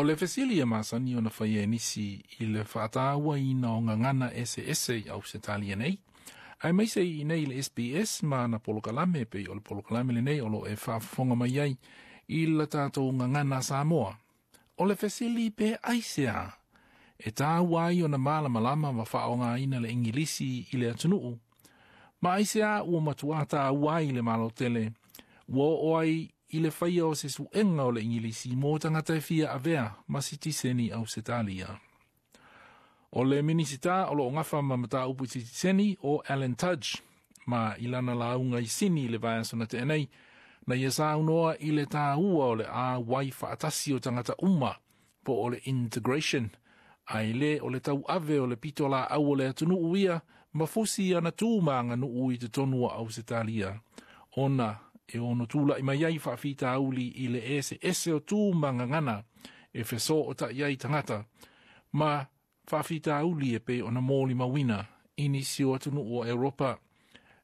O le fesili e masani ona faia e nisi i le faatauaina o gagana eseese i Ausetalia nei, aemaise i inei i le SBS ma ana polokalame pei o le polokalame lenei o lo o e faafofoga mai ai i la tatou gagana Samoa. O le fesili pe aisea e taua ai ona malamalama ma faaaogaina le Igilisi i le atunuu, ma aisea ua matuā taua ai le Malo tele ua oo ai i le faia o se suega o le Igilisi mo tagata e fia avea ma sitiseni Ausetalia. O le Minisita o lo o gafa ma mataupu i sitiseni o Alan Tudge, ma i lana lauga i Sini i le vaiaso na tea nei, na ia saunoa i le taua o le auai faatasi o tagata uma po o le integration, ae le o le tauave o le pitolaau o le atunuu ia ma fusi ana tu ma aganuu i totonu o Ausetalia, ona e ono tula'i mai ai faafitauli i le eseese o tu ma gagana e fesootai ai tagata ma faafitauli e pei ona molimauina i nisi o atunuu o Europa.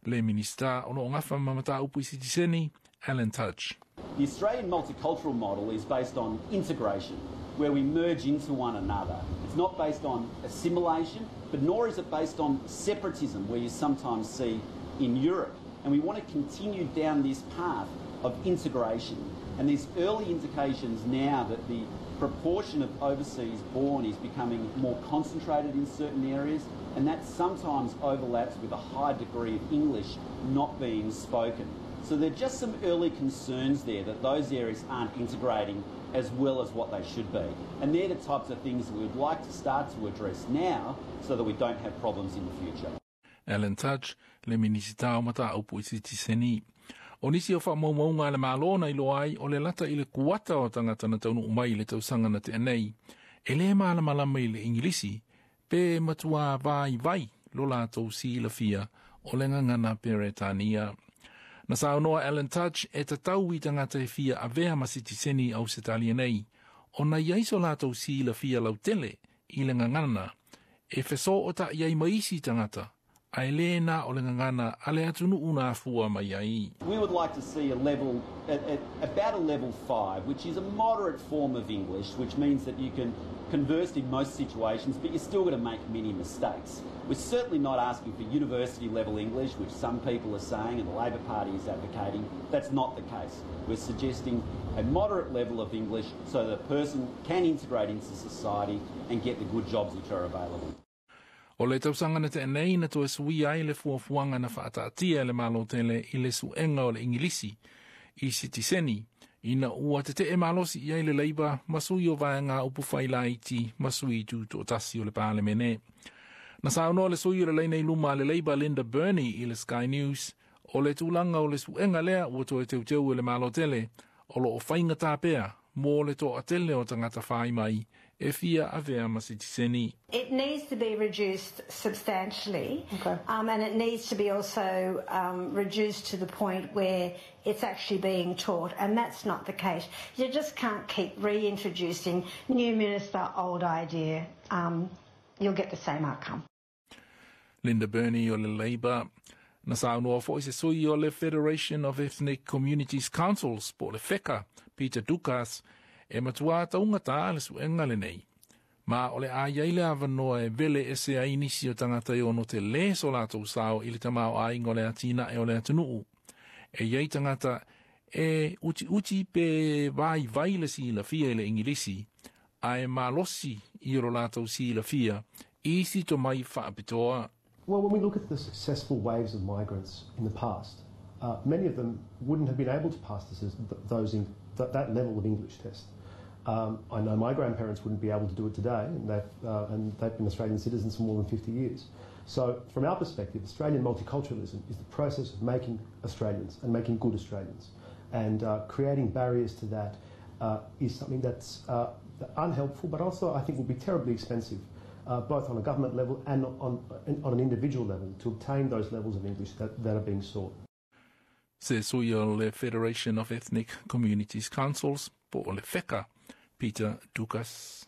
Le Minisita o lo o gafa ma mataupu i sitiseni, Alan Tudge. The Australian multicultural model is based on integration, where we merge into one another. It's not based on assimilation, but nor is it based on separatism, where you sometimes see in Europe. And we want to continue down this path of integration. And there's early indications now that the proportion of overseas born is becoming more concentrated in certain areas, and that sometimes overlaps with a high degree of English not being spoken. So there are just some early concerns there that those areas aren't integrating as well as what they should be. And they're the types of things that we would like to start to address now so that we don't have problems in the future. Alan Tudge, le Minisita o Mataupu i Sitiseni. O nisi o faamaumauga a le Malo na iloa ai o le lata i le kuata o tagata na taunuu mai i le tausaga na tea nei, e le malamalama i le Igilisi pe matuā vaivai lo latou silafia o le gagana Peretania. Na saunoa Alan Tudge e tatau i tagata e fia avea ma sitiseni Ausetalia nei, ona i ai so latou silafia lautele i le gagana e fesootai ai ma isi tagata, ae le na o le gagana a le atunuu na afua mai ai. We would like to see a level, at about a level 5, which is a moderate form of English, which means that you can converse in most situations, but you're still going to make many mistakes. We're certainly not asking for university level English, which some people are saying and the Labor Party is advocating. That's not the case. We're suggesting a moderate level of English so that a person can integrate into society and get the good jobs which are available. O le tausaga na tea nei na toe suia ai le fuafuaga na faataatia e le Malo tele i le suega o le Igilisi i sitiseni, ina ua tete'e malosi i ai le Labour ma sui o vaega upufai laiti ma sui tutoatasi o le Palemene. Na saunoa le sui o le laina i luma a le Labour Linda Burney i le Sky News o le tulaga o le suega lea ua toe teuteu e le Malo tele o lo o faigatā pea mo le toatele o tagata fai mai e fia avea ma sitiseni. It needs to be reduced substantially, and it needs to be also reduced to the point where it's actually being taught, and that's not the case. You just can't keep reintroducing new minister, old idea. You'll get the same outcome. Linda Burney o le Labour. Na saunoa foi se sui o le Federation of Ethnic Communities Councils po o le FECCA, Peter Doukas, e matuā taugata le suega lenei. Ma o le a iai le avanoa e vele ese ai nisi o tagata e ono telē so latou sao i le tamaoaiga o le atinae o le atunuu. E iai tagata e utiuti pe vaivai le silafia i le Igilisi, ae malosi i o latou silafia i isi tomai faapitoa. Well, when we look at the successful waves of migrants in the past, many of them wouldn't have been able to pass this, those in, th- that level of English test. I know my grandparents wouldn't be able to do it today, and they've been Australian citizens for more than 50 years. So, from our perspective, Australian multiculturalism is the process of making Australians and making good Australians. And creating barriers to that is something that's unhelpful, but also I think will be terribly expensive, both on a government level and on an individual level, to obtain those levels of English that are being sought. Se sui o le Federation of Ethnic Communities Councils po o le FECCA, Peter Doukas.